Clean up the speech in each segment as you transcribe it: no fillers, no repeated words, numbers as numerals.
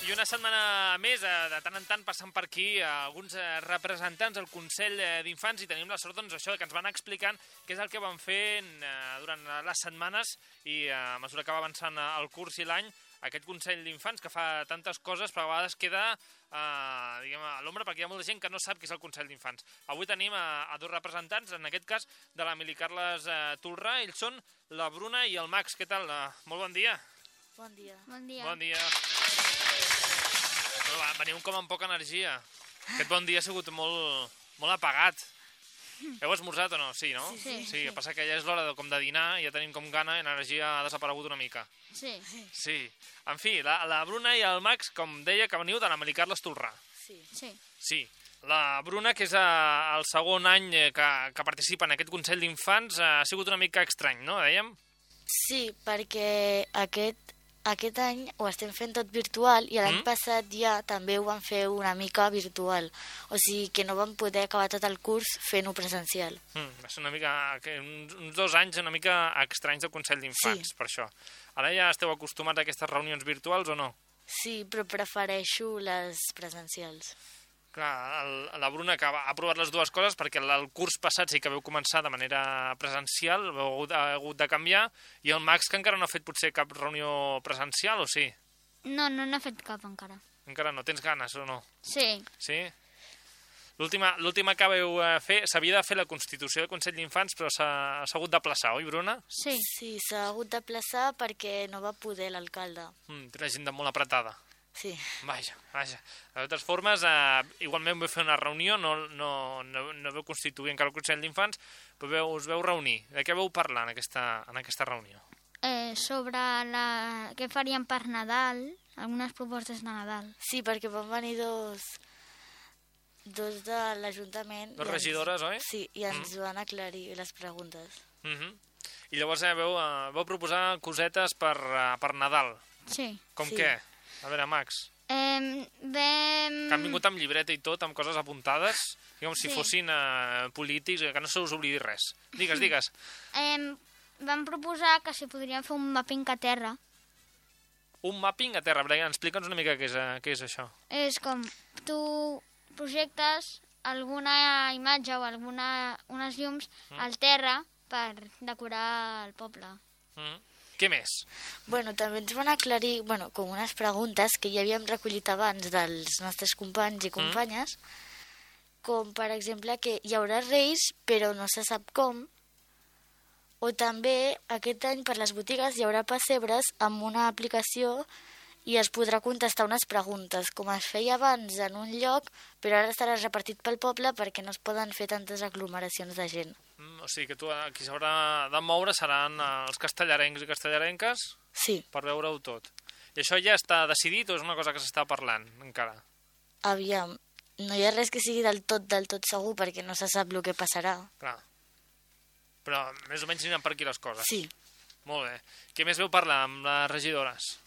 I una setmana més, de tant en tant, passant per aquí alguns representants del Consell d'Infants i tenim la sort doncs, això que ens van explicant què és el que van fer durant les setmanes i a mesura que va avançant el curs i l'any, aquest Consell d'Infants que fa tantes coses però a vegades queda a l'ombra perquè hi ha molta gent que no sap què és el Consell d'Infants. Avui tenim a dos representants, en aquest cas de la Mili Carles Tolrà. Ells són la Bruna i el Max. Què tal? Molt bon dia. Bon dia. Bon dia. Bon dia. Veniu com amb poca energia. Aquest bon dia ha sigut molt apagat. Heu esmorzat o no? Sí, no? Sí. Sí, el que passa que ja és l'hora de dinar i ja tenim com gana i l'energia ha desaparegut una mica. Sí. Sí. En fi, la Bruna i el Max, com deia, que veniu de la Mili Carles Tolrà. Sí. Sí. La Bruna, que és el segon any que participa en aquest Consell d'Infants, ha sigut una mica estrany, no? Dèiem? Sí, perquè aquest any ho estem fent tot virtual i l'any passat ja també ho vam fer una mica virtual. O sigui que no vam poder acabar tot el curs fent-ho presencial. Va ser una mica, uns 2 anys una mica estranys del Consell d'Infants, per això. Ara ja esteu acostumats a aquestes reunions virtuals o no? Sí, però prefereixo les presencials. Clar, la Bruna que ha provat les dues coses perquè el curs passat sí que vau començar de manera presencial, heu hagut de canviar, i el Max que encara no ha fet potser cap reunió presencial, o sí? No n'ha fet cap encara. Encara no, tens ganes o no? Sí. Sí? L'última que vau fer, s'havia de fer la Constitució del Consell d'Infants, però s'ha hagut d'aplaçar, oi, Bruna? Sí. Sí, s'ha hagut d'aplaçar perquè no va poder l'alcalde. Té una agenda molt apretada. Sí. Vaja. De totes formes, igualment vau fer una reunió, no vau constituir encara el Consell d'Infants, però us vau reunir. De què vau parlar en aquesta reunió? Sobre què faríem per Nadal, algunes propostes de Nadal. Sí, perquè van venir dos de l'Ajuntament. Dos regidores, oi? Sí, i ens van aclarir les preguntes. I llavors vau proposar cosetes per Nadal. Sí. Com Sí. què? A veure, Max. Que han vingut amb llibreta i tot, amb coses apuntades, com si Sí. fossin polítics, que no se us oblidi res. Digues. Vam proposar que si podríem fer un mapping a terra. Un mapping a terra. Brian, explica'ns una mica què és això. És com tu projectes alguna imatge o unes llums al terra per decorar el poble. Què més? Bueno, també ens van aclarir, com unes preguntes que ja havíem recollit abans dels nostres companys i companyes, com per exemple que hi haurà reis però no se sap com, o també aquest any per les botigues hi haurà pessebres amb una aplicació i es podrà contestar unes preguntes, com es feia abans en un lloc, però ara estarà repartit pel poble perquè no es poden fer tantes aglomeracions de gent. O sigui que qui s'haurà de moure seran els castellarencs i castellarenques Sí, per veure-ho tot. I això ja està decidit o és una cosa que s'està parlant encara? aviam, no hi ha res que sigui del tot segur perquè no se sap el que passarà. Clar. Però més o menys aniran per aquí les coses. Sí, Molt bé. Què més veu parlar amb les regidores?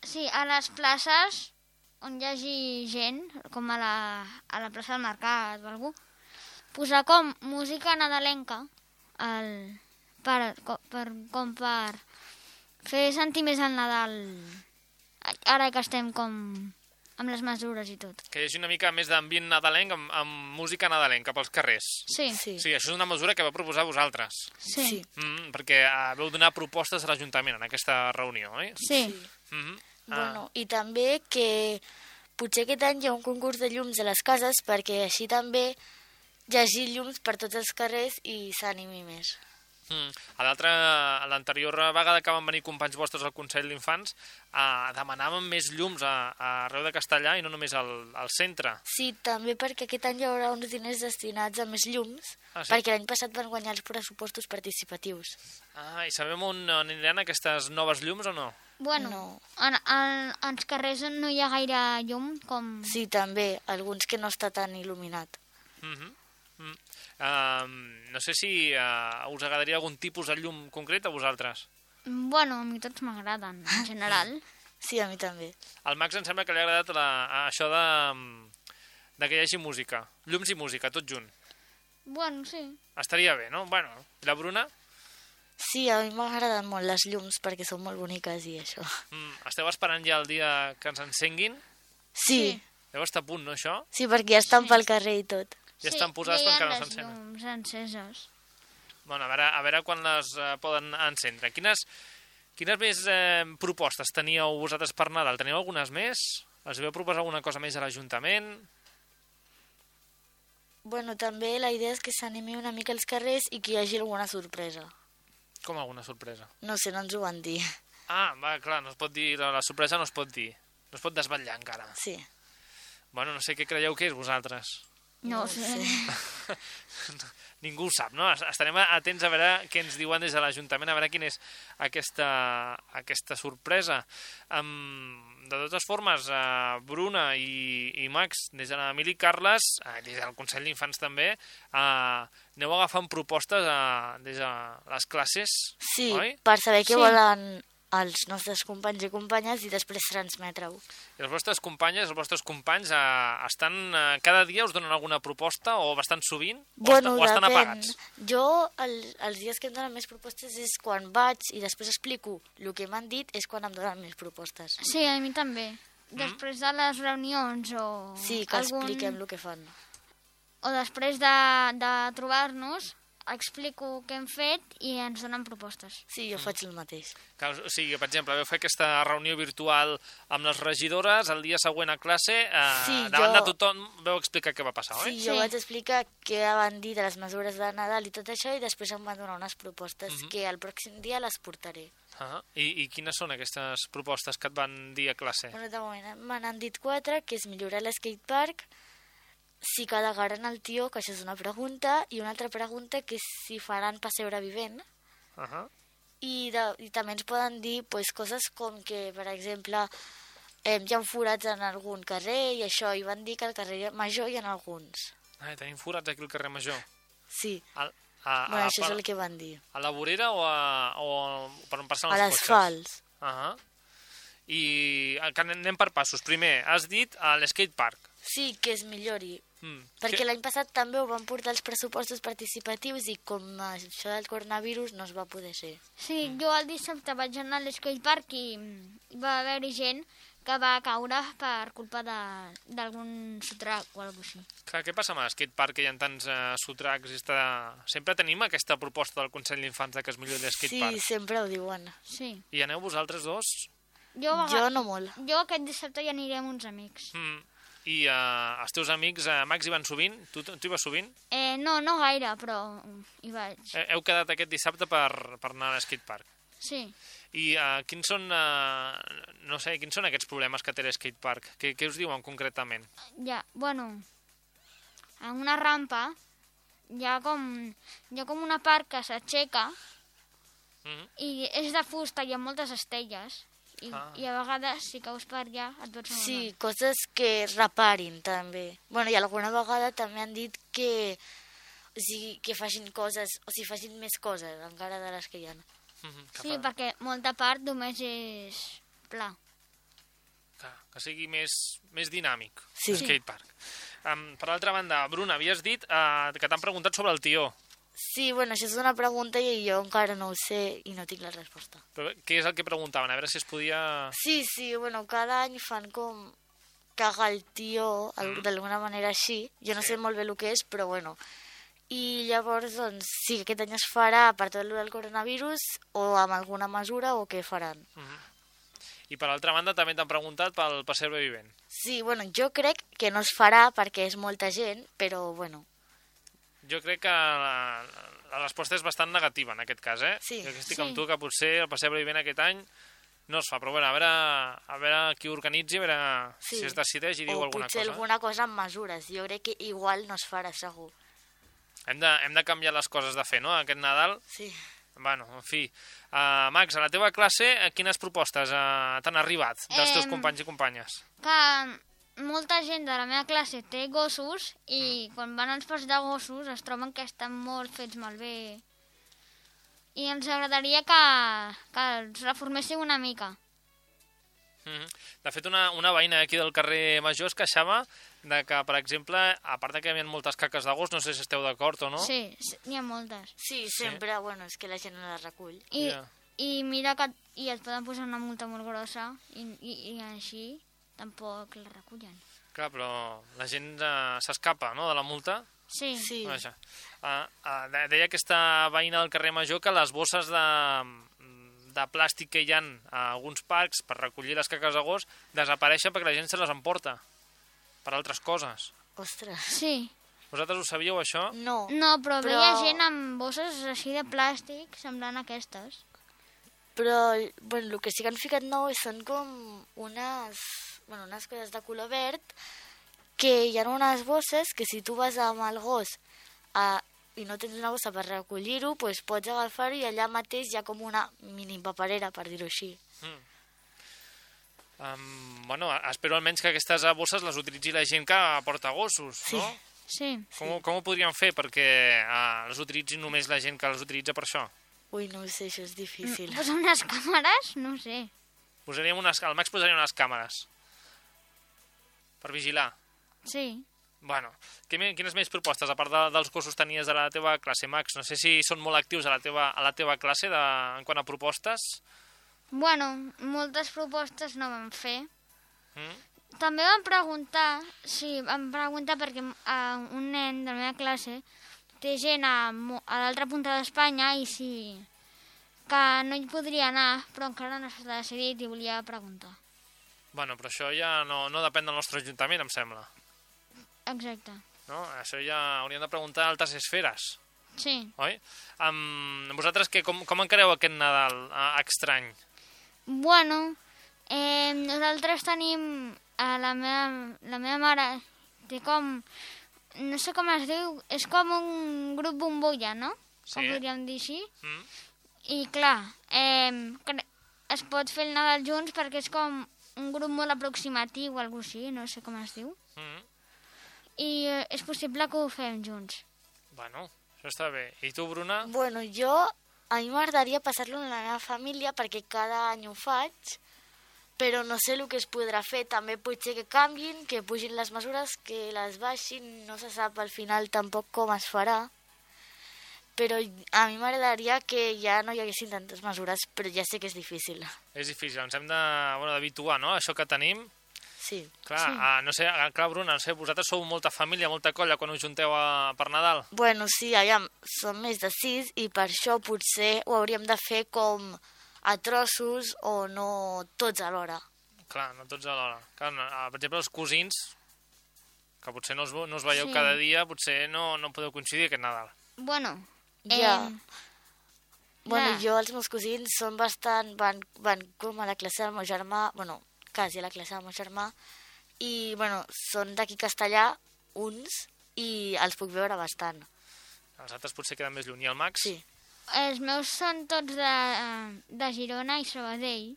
Sí, a les places on hi hagi gent, com a la plaça del Mercat o algú, posar com música nadalenca per fer sentir més el Nadal, ara que estem com amb les mesures i tot. Que hi hagi una mica més d'ambient nadalenc amb música nadalenca pels carrers. Sí. sí. Sí, això és una mesura que va proposar vosaltres. Sí. Perquè veu donar propostes a l'Ajuntament en aquesta reunió, oi? Sí. Bueno, i també que potser aquest any hi ha un concurs de llums a les cases perquè així també hi hagi llums per tots els carrers i s'animi més. A l'anterior vegada que van venir companys vostres al Consell d'Infants demanàvem més llums arreu de Castellà i no només al centre. Sí, també perquè aquest any hi haurà uns diners destinats a més llums, Sí? perquè l'any passat van guanyar els pressupostos participatius. I sabem on aniran aquestes noves llums o no? Bueno, No. als carrers on no hi ha gaire llum, com... Sí, també, alguns que no està tan il·luminat. No sé si us agradaria algun tipus de llum concret a vosaltres. Bueno, a mi tots m'agraden, en general. Sí, a mi també. Al Max em sembla que li ha agradat això de que hi hagi música. Llums i música, tot junt. Bueno, sí. Estaria bé, no? Bueno, i la Bruna? Sí, a mi m'agraden molt les llums perquè són molt boniques i això. Esteu esperant ja el dia que ens encenguin? Sí, Deu estar a punt, no, això? sí, perquè ja estan pel carrer i tot. Ja estan posades però encara no les s'encenen. llums enceses. Bueno, a veure quan les poden encendre. Quines més propostes teníeu vosaltres per Nadal? Teniu algunes més? Els vau proposar alguna cosa més a l'Ajuntament? Bueno, també la idea és que s'animi una mica als carrers i que hi hagi alguna sorpresa. Com alguna sorpresa? No sé, no ens ho van dir. Ah, va, clar, no es pot dir, la sorpresa no es pot dir. No es pot desvetllar encara. Sí. Bueno, no sé què creieu que és vosaltres. No ho sé. Ningú ho sap, no? Estarem atents a veure què ens diuen des de l'Ajuntament, a veure quina és aquesta sorpresa. De totes formes, Bruna i Max, des de l'Emili i Carles, des del Consell d'Infants també, aneu agafant propostes des de les classes, Sí, oi? per saber què Sí. volen els nostres companys i companyes i després transmetre-ho. I les vostres companyes, els vostres companys, estan cada dia us donen alguna proposta o bastant sovint? O estan apagats? Jo, els dies que em donen més propostes és quan vaig i després explico el que m'han dit, és quan em donen més propostes. Sí, a mi també. Després de les reunions o... Sí, que expliquem el que fan. O després de trobar-nos, explico què hem fet i ens donen propostes. Sí, jo faig el mateix. Que, o sigui, per exemple, vau fer aquesta reunió virtual amb les regidores, el dia següent a classe, Sí, davant de tothom vau explicar què va passar, oi? Sí, jo Sí. vaig explicar què van dir de les mesures de Nadal i tot això i després em van donar unes propostes que el pròxim dia les portaré. I quines són aquestes propostes que et van dir a classe? Bueno, de moment me n'han dit 4, que és millorar l'skatepark, si calegaran el tió, que això és una pregunta, i una altra pregunta que és si faran pessebre vivent. I també ens poden dir pues, coses com que, per exemple, hi ha forats en algun carrer i això, i van dir que al carrer Major hi ha alguns. Tenim forats aquí al carrer Major. Sí, A això és el que van dir. la vorera o per on passen A els cotxes? l'asfalt. I anem per passos. Primer, has dit a l'skatepark. Sí, que es millori. Perquè l'any passat també ho van portar els pressupostos participatius i com això del coronavirus no es va poder ser. Sí, jo el dissabte vaig anar a l'skatepark i va haver-hi gent que va caure per culpa d'algun sotrac o alguna cosa així. Clar, què passa amb l'skatepark, que hi ha tants sotracs? Sempre tenim aquesta proposta del Consell d'Infants de que es millori l'skatepark. Sí, sempre ho diuen. Sí. I aneu vosaltres dos? Jo no molt. Jo aquest dissabte ja aniré amb uns amics. I els teus amics, Max, hi van sovint? Tu hi vas sovint? No gaire, però hi vaig. Heu quedat aquest dissabte per anar a l'skatepark. Sí. I quins són aquests problemes que té l'skatepark? Què us diuen concretament? Ja, bueno, en una rampa hi ha com una part que s'aixeca i és de fusta i amb moltes estelles. I a vegades, si caus per allà, et pots moure. Sí, coses que reparin, també. Bueno, i alguna vegada també han dit que facin coses, o sigui, facin més coses, encara de les que hi ha. Sí, perquè molta part només és pla. Que sigui més dinàmic, Sí. l'skatepark. Per altra banda, Bruna, havies dit que t'han preguntat sobre el tió. Sí, bueno, això és una pregunta i jo encara no ho sé i no tinc la resposta. Però què és el que preguntaven? A veure si es podia... Sí, bueno, cada any fan com cagar el tió, d'alguna manera així. Jo no sé molt bé el que és, però bueno. I llavors, doncs, sí, aquest any es farà per tot el del coronavirus o amb alguna mesura o què faran. I per altra banda també t'han preguntat pel pessebre vivent. Sí, bueno, jo crec que no es farà perquè és molta gent, però bueno. Jo crec que la resposta és bastant negativa en aquest cas, eh? Sí. Jo estic amb tu que potser el pessebre vivent aquest any no es fa, però bueno, a veure qui ho organitzi, a veure si es decideix i diu alguna cosa. O potser alguna cosa amb mesures. Jo crec que igual no es farà, segur. Hem de canviar les coses de fer, no?, aquest Nadal. Sí. Bueno, en fi. Max, a la teva classe, quines propostes t'han arribat dels teus companys i companyes? Que molta gent de la meva classe té gossos i quan van als parcs de gossos es troben que estan molt fets malbé. I ens agradaria que els reforméssiu una mica. De fet, una veïna aquí del carrer Major es queixava de que, per exemple, a part que hi havia moltes caques de gos, no sé si esteu d'acord o no. Sí, n'hi ha moltes. Sí, sempre, bueno, és que la gent no les recull. I mira que et poden posar una multa molt grossa i així tampoc la recullen. Clar, però la gent s'escapa, no?, de la multa. Sí. Vaja. Deia aquesta veïna del carrer Major que les bosses de plàstic que hi ha a alguns parcs per recollir les caques de gos desapareixen perquè la gent se les emporta per altres coses. Ostres. Sí. Vosaltres ho sabíeu, això? No. No, però veia gent amb bosses així de plàstic semblant a aquestes. Però, bueno, el que sí que han ficat nou són com unes coses de color verd que hi ha unes bosses que si tu vas amb el gos i no tens una bossa per recollir-ho, doncs pots agafar-ho i allà mateix hi ha com una mini paperera, per dir-ho així. Bueno, espero almenys que aquestes bosses les utilitzi la gent que porta gossos, no? Sí. Com ho podríem fer perquè les utilitzi només la gent que les utilitza per això? Ui, no ho sé, això és difícil. Posar unes càmeres? No ho sé. Al Max posaria unes càmeres per vigilar. Sí. Bueno, quines més propostes, a part dels gossos tenies de la teva classe, Max? No sé si són molt actius a la teva classe en quant a propostes. Bueno, moltes propostes no van fer. També vam preguntar perquè un nen de la meva classe té gent a l'altra punta d'Espanya i que no hi podria anar, però encara no s'ha decidit i volia preguntar. Bueno, però això ja no depèn del nostre ajuntament, em sembla. Exacte. No? Això ja hauríem de preguntar a altres esferes. Sí. Oi? Vosaltres com encareu aquest Nadal estrany? Bueno, nosaltres tenim... La meva mare té com... No sé com es diu, és com un grup bombolla, no? Sí. Com podríem dir així. I clar, es pot fer el Nadal junts perquè és com un grup molt aproximatiu o alguna cosa així, no sé com es diu. I és possible que ho fem junts. Bueno, això està bé. I tu, Bruna? Bueno, a mi m'agradaria passar-lo amb la meva família perquè cada any ho faig, però no sé el que es podrà fer. També pot ser que canviïn, que pugin les mesures, que les baixin, no se sap al final tampoc com es farà. Però a mi m'agradaria que ja no hi haguessin tantes mesures, però ja sé que és difícil. És difícil, ens hem d'habituar, no?, a això que tenim. Sí. Clar, no sé, Bruna, no sé, vosaltres sou molta família, molta colla quan us junteu per Nadal? Bueno, sí, aviam, som més de 6 i per això potser ho hauríem de fer com a trossos o no tots alhora. Clar, no tots alhora. Clar, per exemple, els cosins, que potser no us veieu cada dia, potser no podeu coincidir aquest Nadal. Bueno, Bueno, els meus cosins són bastant... Van com a la classe del meu germà, bueno, quasi a la classe del meu germà, i, bueno, són d'aquí Castellà, uns, i els puc veure bastant. Els altres potser queden més lluny. I el Max? Sí. Els meus són tots de Girona i Sabadell.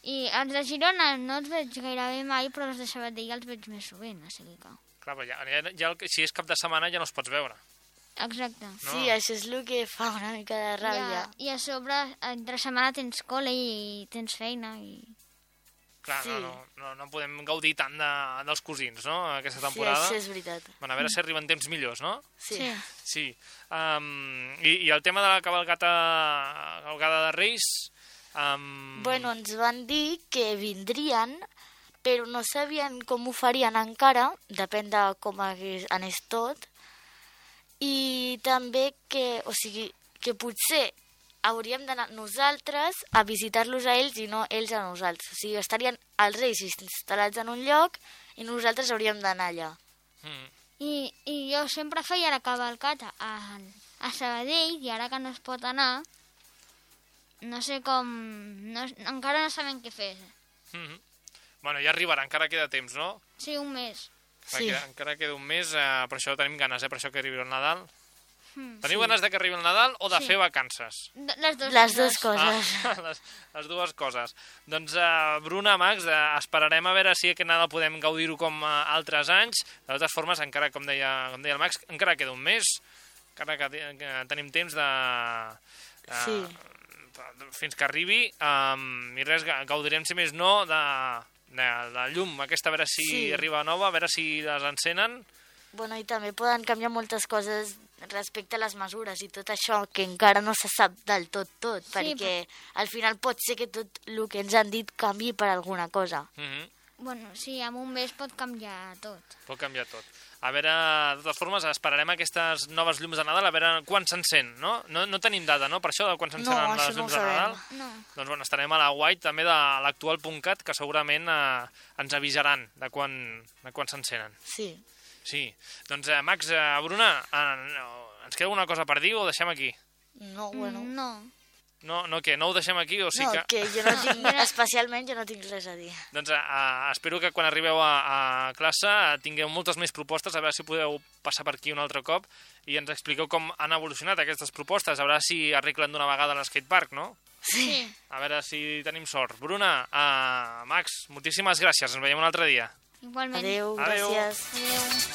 I els de Girona no els veig gairebé mai, però els de Sabadell els veig més sovint, així que... Clar, però si és cap de setmana ja no els pots veure. Exacte. No. Sí, això és el que fa una mica de ràbia. I a sobre, entre setmana tens col·le i tens feina i... Clar, sí. no podem gaudir tant dels cosins, no?, aquesta temporada. Sí, això és veritat. Bueno, a veure si arriben temps millors, no? Sí. I el tema de la cavalgada de Reis... Bueno, ens van dir que vindrien, però no sabien com ho farien encara, depèn de com anés tot, i també que potser hauríem d'anar nosaltres a visitar-los a ells i no ells a nosaltres. O sigui, estarien els reis instal·lats en un lloc i nosaltres hauríem d'anar allà. I jo sempre feia la cavalcata a Sabadell i ara que no es pot anar, no sé com... encara no sabem què fer. Bueno, ja arribarà, encara queda temps, no? Sí, un mes. Sí. Encara queda un mes, per això tenim ganes, per això que arribi el Nadal. Teniu ganes de que arribi el Nadal o de fer vacances? Les dues coses. Les dues coses. Doncs, Bruna, Max, esperarem a veure si aquest Nadal podem gaudir-ho com altres anys. De totes formes, encara, com deia el Max, encara queda un mes, encara que tenim temps de fins que arribi, i res, gaudirem, si més no, de la llum aquesta, a veure si arriba nova, a veure si les encenen. Bueno, i també poden canviar moltes coses respecte a les mesures i tot això, que encara no se sap del tot, perquè al final pot ser que tot el que ens han dit canvi per alguna cosa. Bueno, sí, en un mes pot canviar tot. Pot canviar tot. A veure, de totes formes, esperarem aquestes noves llums de Nadal, a veure quan s'encén, no? No tenim data, no?, per això, de quan s'encenen les llums de Nadal. No. Doncs bueno, estarem a la web també de l'actual.cat, que segurament ens avisaran de quan s'encenen. Sí. Sí. Doncs, Max, Bruna, ens queda alguna cosa per dir o ho deixem aquí? No, bueno... No, què? No ho deixem aquí o sí que... No, que jo no tinc, especialment jo no tinc res a dir. Doncs espero que quan arribeu a classe tingueu moltes més propostes, a veure si podeu passar per aquí un altre cop i ens expliqueu com han evolucionat aquestes propostes, a veure si arreglen d'una vegada l'escatepark, no? Sí. A veure si tenim sort. Bruna, Max, moltíssimes gràcies, ens veiem un altre dia. Igualment. Adéu, gràcies. Adéu.